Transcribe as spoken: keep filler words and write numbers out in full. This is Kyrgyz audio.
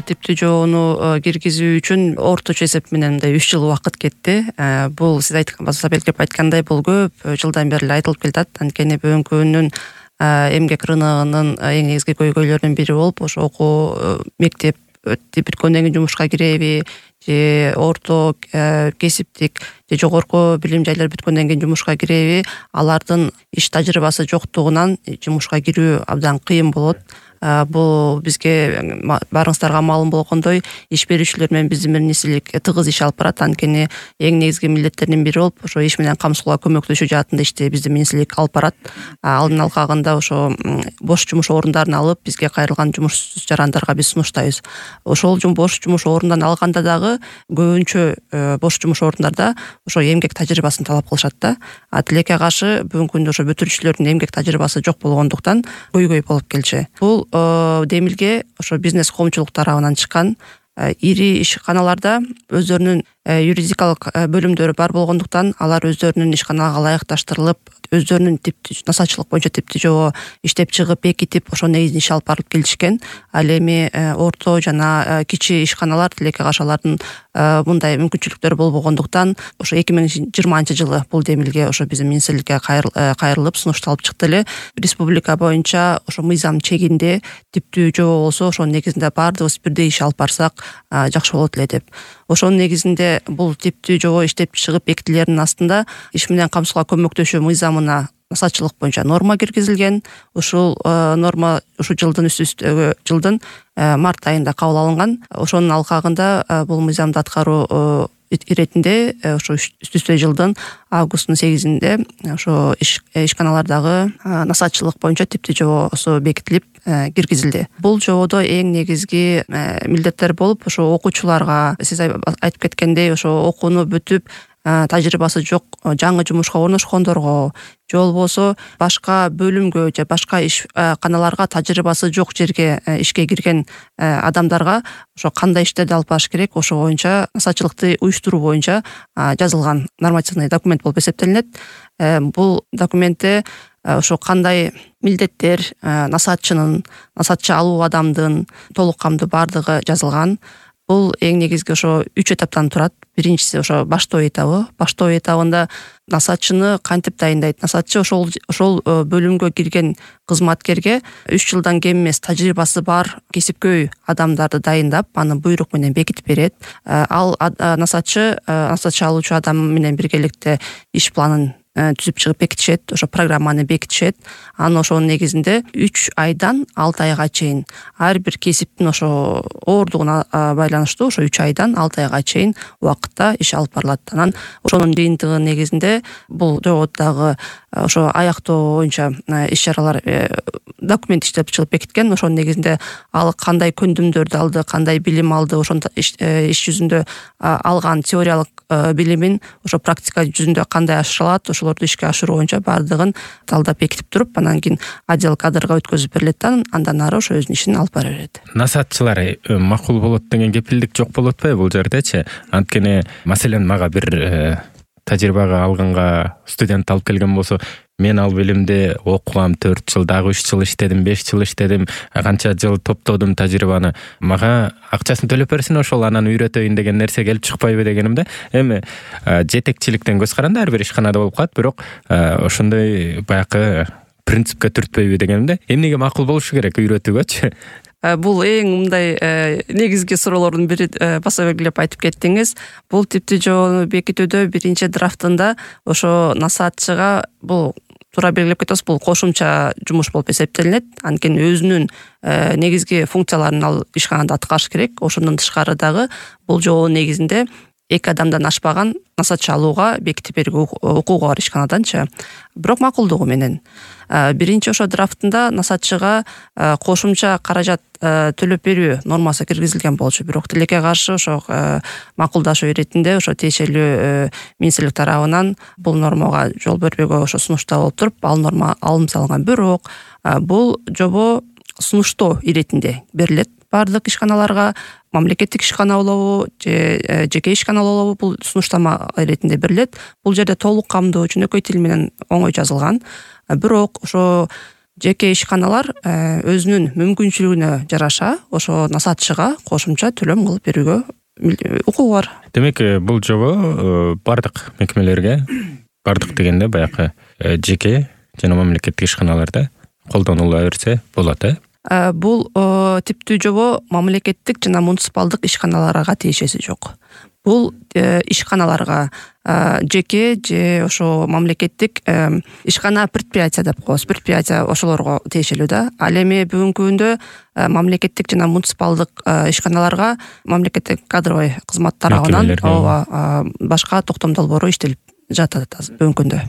типтүү жобону киргизүү үчүн орточо эсеп менен мындай үч жыл убакыт кетти. Бул сиз айткан баса белгилеп айткандай бул көп жылдан бери эле айтылып келатат. Анткени бүгүнкү күндүн эмгек рыногунун эң негизги көйгөйлөрүнүн бири болуп ошо окуу мектеп бүткөндөн кийин жумушка киреби же орто кесиптик же жогорку билим жайлар бүткөндөн кийин жумушка киреби, алардын иш тажрыйбасы жоктугунан жумушка кирүү абдан кыйын болот. Бул бизге баарыңыздарга маалым болгондой иш берүүчүлөр менен биздин министрлик тыгыз иш алып барат. Анткени эң негизги милдеттердин бири болуп ошо иш менен камсыздоого көмөктөшүү жаатында ишти биздин министрлик алып барат. Алдын алкагында ошо бош жумуш орундарын алып бизге кайрылган жумуш жарандарга биз сунуштайбыз. Ошол бош жумуш орундарын алганда дагы көбүнчө бош жумуш орундарда ошо эмгек тажрыйбасын талап кылышат да. А тилекке каршы бүгүнкү күндө ошо бүтүрүүчүлөрдүн эмгек тажрыйбасы жок болгондуктан көйгөй болуп келчү. Бул демилге ошо бизнес коомчулук тарабынан чыккан. Ири ишканаларда өздөрүнүн юридикалык бөлүмдөрү бар болгондуктан алар өздөрүнүн ишканага ылайыкташтырылып, өздөрүнүн типтүү насаатчылык боюнча типтүү жобо иштеп чыгып, бекитип, ошо негизинде иш алып барып келишкен. Ал эми орто жана кичи ишканалар тилекке каршы алардын мындай мүмкүнчүлүктөрү болбогондуктан ошо эки миң жыйырманчы жылы бул демилге ошо биздин министрликке кайрылып сунушталып чыкты эле. Республика боюнча ошо мыйзам чегинде типтүү жобо болсо ошонун негизинде баардыгыбыз бирдей иш алып барсак жакшы болот эле деп. Ошонун негизинде бул типтүү жобо иштеп чыгып бекитилеринин астында иш менен камсыздоого көмөктөшүү мыйзамына насаатчылык боюнча норма киргизилген. Ушул норма ушу жылдын үстүстөгү жылдын март айында кабыл алынган. Ошонун алкагында бул мыйзамды аткаруу иретинде ошо үстүстө жылдын августтун сегизинде ошо ишканалардагы насаатчылык боюнча типтүү жобосу бекитилип киргизилди. Бул жободо эң негизги милдеттер болуп ошо окуучуларга сиз айтып кеткендей ошо окууну бүтүп тажрыйбасы жок жаңы жумушка орношкондорго же болбосо башка бөлүмгө же башка ишканаларга тажрыйбасы жок жерге ишке кирген адамдарга ошо кандай иштерди алып барыш керек, ошо боюнча насаатчылыкты уюштуруу боюнча жазылган нормативный документ болуп эсептелинет. Бул документте ошо кандай милдеттер насаатчынын, насаатчы алуу адамдын толук камдуу бардыгы жазылган. Бул эң негизги ошо үч этаптан турат. Биринчиси ошо баштоо этабы. Баштоо этабында насаатчыны кантип дайындайт? Насаатчы ошол ошол бөлүмгө кирген кызматкерге үч жылдан кем эмес тажрыйбасы бар кесипкөй адамдарды дайындап, аны буйрук менен бекитип берет. Ал насаатчы, насаатчы алуучу адам менен биргеликте иш планын түзүп чыгып бекитишет, ошо программаны бекитишет. Анын ошонун негизинде үч айдан алты айга чейин ар бир кесиптин ошо оордугуна байланыштуу ошо үч айдан алты айга чейин убакытта иш алып барылат. Анан ошонун жыйынтыгы негизинде бул жободагы ошо аяктоо боюнча иш чаралар документ иштеп чыгып бекиткен. Ошонун негизинде ал кандай көндүмдөрдү алды, кандай билим алды, ошон иш жүзүндө алган теориялык билимин ошо практика жүзүндө кандай ашырылат, ошолорду ишке ашыруу боюнча бардыгын талдап бекитип туруп, анан кийин отдел кадрга өткөзүп берилет да, андан ары ошо өзүнүн ишин алып бара берет. Насаатчылар макул болот деген кепилдик жок болуп атпайбы бул жердечи? Анткени маселен мага бир тажрыйбага алганга студент алып келген болсо, мен ал билимди окугам, төрт жыл, дагы үч жыл иштедим, беш жыл иштедим, канча жыл топтодум тажрыйбаны. Мага акчасын төлөп берсин, ошол анан үйрөтөйүн деген нерсе келип чыкпайбы дегенимде. Эми жетекчиликтен көз каранды ар бир ишканада болуп калат, бирок ошондой баягы принципке түртпөйбү дегенимде. Эмнеге макул болушу керек үйрөтүүгөчү? Бул эң мындай негизги суроолордун бири, баса белгилеп айтып кеттиңиз. Бул типтүү жобону бекитүүдө биринчи драфтында ошо насаатчыга бул туура белгилеп кетебиз, бул кошумча жумуш болуп эсептелинет. Анткени өзүнүн негизги функцияларын ал ишканада аткарыш керек. Ошондон тышкары дагы бул жобонун негизинде эки адамдан ашпаган насаатчы алууга бекитип берүүгө укугу бар ишканаданчы. Бирок макулдугу менен биринчи ошо драфтында насаатчыга кошумча каражат төлөп берүү нормасы киргизилген болчу. Бирок тилекке каршы ошо макулдашуу иретинде ошо тиешелүү министрлик тарабынан бул нормага жол бербөөгө ошо сунуштаа болуп туруп, ал норма алынып салынган. Бирок бул жобо сунуштоо иретинде берилет бардык ишканаларга. Мамлекеттик ишкана болобу же жеке ишкана болобу, бул сунуштама иретинде берилет. Бул жерде толук камдуу жөнөкөй тил менен оңой жазылган. Бирок ошо жеке ишканалар өзүнүн мүмкүнчүлүгүнө жараша ошо насаатчыга кошумча төлөм кылып берүүгө укугу бар. Демек бул жобо бардык мекемелерге, бардык дегенде баягы жеке жана мамлекеттик ишканаларда колдонула берсе болот э? Бул типтүү жобо мамлекеттик жана муниципалдык ишканаларга тиешеси жок. Бул ишканаларга жеке же ошо мамлекеттик ишкана предприятия деп коебуз. Предприятия ошолорго тиешелүү да. Ал эми бүгүнкү күндө мамлекеттик жана муниципалдык ишканаларга мамлекеттик кадровый кызмат тарабынан ооба башка токтом долбоору иштелип жатат бүгүнкү күндө.